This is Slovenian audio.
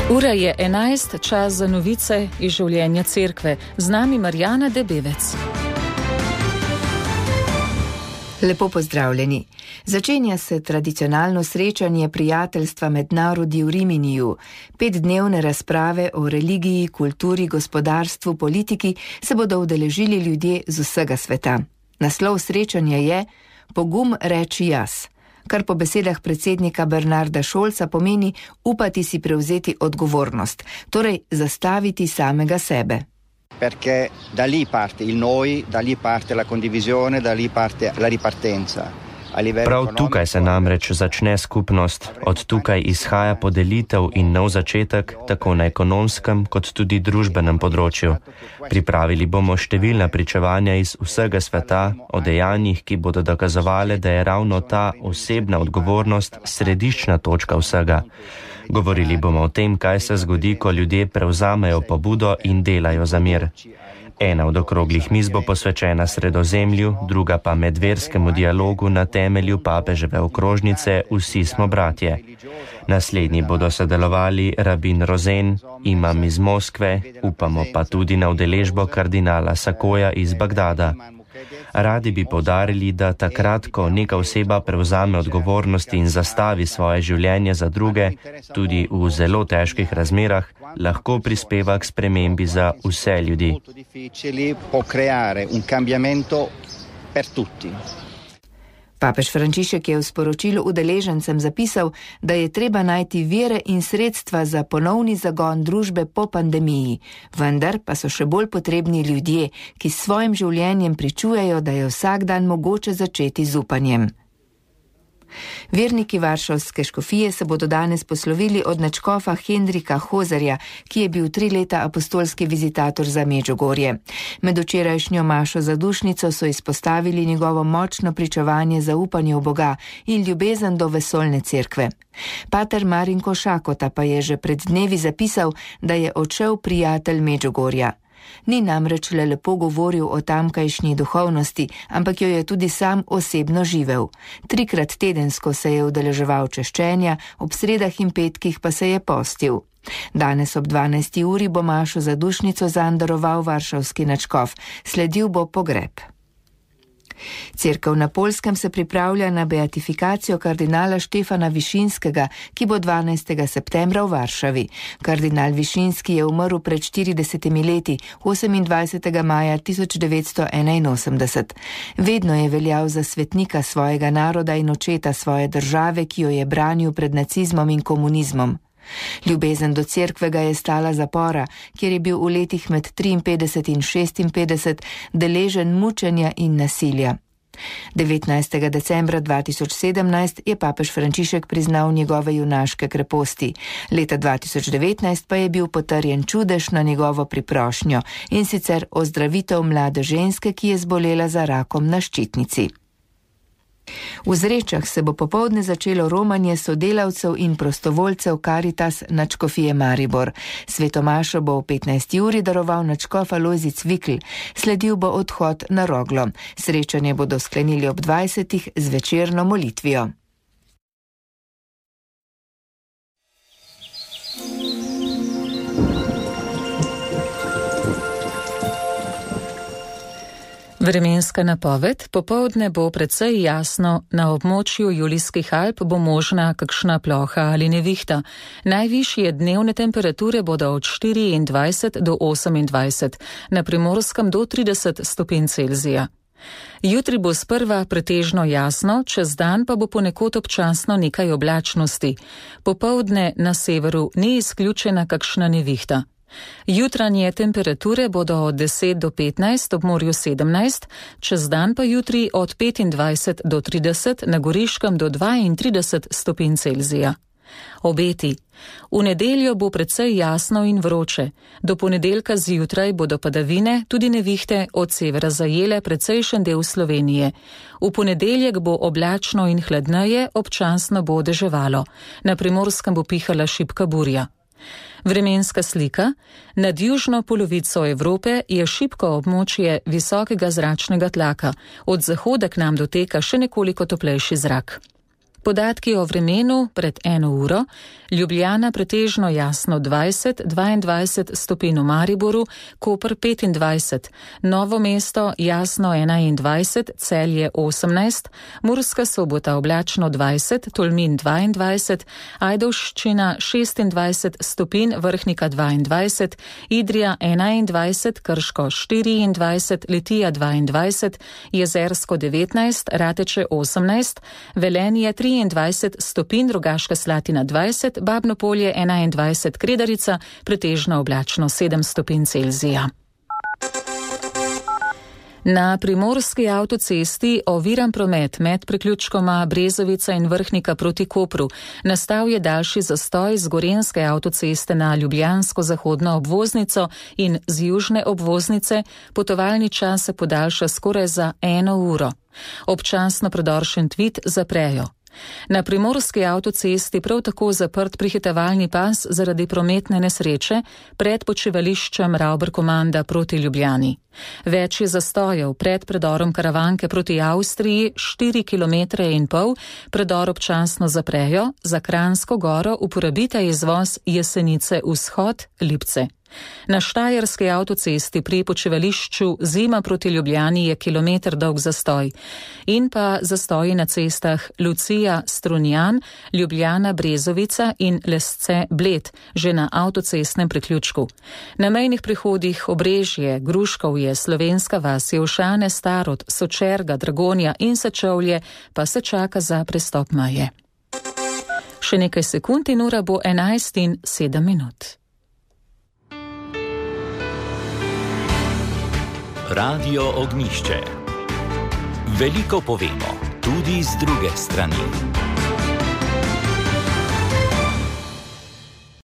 Ura je 11, čas za novice iz življenja cerkve. Z nami Marjana Debevec. Lepo pozdravljeni. Začenja se tradicionalno srečanje prijateljstva med narodi v Riminiju. 5-dnevne razprave o religiji, kulturi, gospodarstvu, politiki se bodo udeležili ljudje z vsega sveta. Naslov srečanja je Pogum reči jaz, kar po besedah predsednika Bernarda Scholza pomeni upati si prevzeti odgovornost, torej zastaviti samega sebe. Perché da lì parte il noi, da lì parte la condivisione, da lì parte la ripartenza. Prav tukaj se namreč začne skupnost, od tukaj izhaja podelitev in nov začetek, tako na ekonomskem kot tudi družbenem področju. Pripravili bomo številna pričevanja iz vsega sveta o dejanjih, ki bodo dokazovali, da je ravno ta osebna odgovornost središčna točka vsega. Govorili bomo o tem, kaj se zgodi, ko ljudje prevzamejo pobudo in delajo za mir. Ena od okroglih miz bo posvečena Sredozemlju, druga pa medverskemu dialogu na temelju papeževe okrožnice Vsi smo bratje. Naslednji bodo sodelovali rabin Rozen, imam iz Moskve, upamo pa tudi na udeležbo kardinala Sakoja iz Bagdada. Radi bi poudarili, da takrat, ko neka oseba prevzame odgovornost in zastavi svoje življenje za druge, tudi v zelo težkih razmerah, lahko prispeva k spremembi za vse ljudi. Papež Frančišek je v sporočilu udeležencem zapisal, da je treba najti vire in sredstva za ponovni zagon družbe po pandemiji, vendar pa so še bolj potrebni ljudje, ki s svojim življenjem pričujejo, da je vsak dan mogoče začeti z upanjem. Verniki Varšavske škofije se bodo danes poslovili od nadškofa Henrika Hozerja, ki je bil 3 leta apostolski vizitator za Medžugorje. Med včerajšnjo mašo za dušnico so izpostavili njegovo močno pričevanje zaupanja v Boga in ljubezen do vesoljne cerkve. Pater Marinko Šakota pa je že pred dnevi zapisal, da je odšel prijatelj Medžugorja. Ni namreč le lepo govoril o tamkajšnji duhovnosti, ampak jo je tudi sam osebno živel. 3-krat tedensko se je udeleževal češčenja, ob sredah in petkih pa se je postil. Danes ob 12. uri bo mašo za dušnico zanj daroval varšavski nadškof, sledil bo pogreb. Cerkev na Poljskem se pripravlja na beatifikacijo kardinala Štefana Višinskega, ki bo 12. septembra v Varšavi. Kardinal Višinski je umrl pred 40 leti, 28. maja 1981. Vedno je veljal za svetnika svojega naroda in očeta svoje države, ki jo je branil pred nacizmom in komunizmom. Ljubezen do cerkve ga je stala zapora, kjer je bil v letih med 53 in 56 deležen mučenja in nasilja. 19. decembra 2017 je papež Frančišek priznal njegove junaške kreposti. Leta 2019 pa je bil potrjen čudež na njegovo priprošnjo, in sicer ozdravitev mlade ženske, ki je zbolela za rakom na ščitnici. V Zrečah se bo popoldne začelo romanje sodelavcev in prostovoljcev Karitas nadškofije Maribor. Svetomašo bo v 15. uri daroval nadškof Alojzij Cvikl, sledil bo odhod na Roglo. Srečanje bodo sklenili ob 20. z večerno molitvijo. Vremenska napoved. Popoldne bo precej jasno, na območju Julijskih Alp bo možna kakšna ploha ali nevihta. Najvišje dnevne temperature bodo od 24 do 28, na Primorskem do 30 stopinj Celzija. Jutri bo sprva pretežno jasno, čez dan pa bo ponekod občasno nekaj oblačnosti. Popoldne na severu ni izključena kakšna nevihta. Jutranje temperature bodo od 10 do 15, ob morju 17, čez dan pa jutri od 25 do 30, na Goriškem do 32 stopinj Celzija. Obeti. V nedeljo bo precej jasno in vroče. Do ponedeljka zjutraj bodo padavine, tudi nevihte, od severa zajele precejšen del Slovenije. V ponedeljek bo oblačno in hladneje, občasno bo deževalo. Na Primorskem bo pihala šibka burja. Vremenska slika. Nad južno polovico Evrope je šibko območje visokega zračnega tlaka. Od zahoda k nam doteka še nekoliko toplejši zrak. Podatki o vremenu pred 1 uro: Ljubljana pretežno jasno 20, 22 stopinj v Mariboru, Koper 25, Novo mesto jasno 21, Celje 18, Murska Sobota oblačno 20, Tolmin 22, Ajdovščina 26 stopinj, Vrhnika 22, Idrija 21, Krško 24, Litija 22, Jezersko 19, Rateče 18, Velenje 23 stopinj, Rogaška Slatina 20, Babno Polje 21, Kredarica pretežno oblačno 7 stopinj Celzija. Na primorski avtocesti oviran promet med priključkoma Brezovica in Vrhnika proti Kopru. Nastal je daljši zastoj z gorenjske avtoceste na ljubljansko zahodno obvoznico in z južne obvoznice. Potovalni čas se podaljša skoraj za 1 uro. Občasno predor Šentvid zaprejo. Na primorski avtocesti prav tako zaprt prihitevalni pas zaradi prometne nesreče pred počivališčem Ravber-Komanda proti Ljubljani. Več je zastojev pred predorom Karavanke proti Avstriji 4,5 km, predor občasno zaprejo, za Kranjsko goro uporabite izvoz Jesenice vzhod Lipce. Na štajerski avtocesti pri počivališču Zima proti Ljubljani je kilometer dolg zastoj. In pa zastoji na cestah Lucija Strunjan, Ljubljana Brezovica in Lesce Bled, že na avtocestnem priključku. Na mejnih prehodih Obrežje, Gruškovje, Slovenska vas, Jelšane, Starod, Sočerga, Dragonja in Sečovlje pa se čaka za prestop meje. Še nekaj sekund in ura bo 11:07. Radio Ognjišče. Veliko povemo, tudi z druge strani.